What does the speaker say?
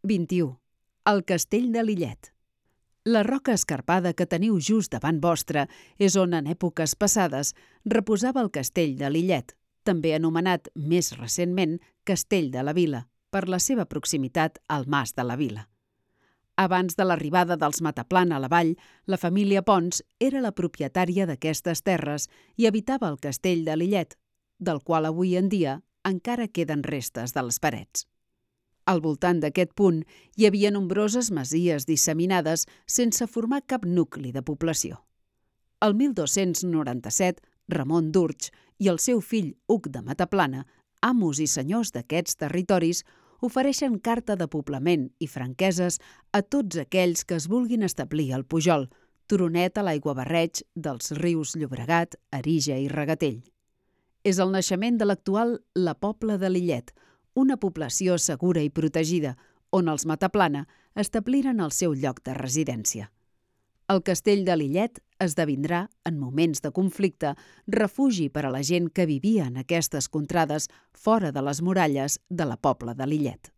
21. El castell de Lillet. La roca escarpada que teniu just davant vostre és on, en èpoques passades, reposava el castell de Lillet, també anomenat més recentment Castell de la Vila, per la seva proximitat al Mas de la Vila. Abans de l'arribada dels Mataplana a la vall, la família Pons era la propietària d'aquestes terres i habitava el castell de Lillet, del qual avui en dia encara queden restes de les parets. Al voltant d'aquest punt hi havia nombroses masies disseminades sense formar cap nucli de població. El 1297, Ramon d'Urtx i el seu fill Hug de Mataplana, amos i senyors d'aquests territoris, ofereixen carta de poblament i franqueses a tots aquells que es vulguin establir al Pujol, turonet a l'aiguabarreig dels rius Llobregat, Arija i Regatell. És el naixement de l'actual La Pobla de Lillet, una població segura i protegida, on els Mataplana establiren el seu lloc de residència. El castell de Lillet esdevindrà, en moments de conflicte, refugi per a la gent que vivia en aquestes contrades fora de les muralles de la Pobla de Lillet.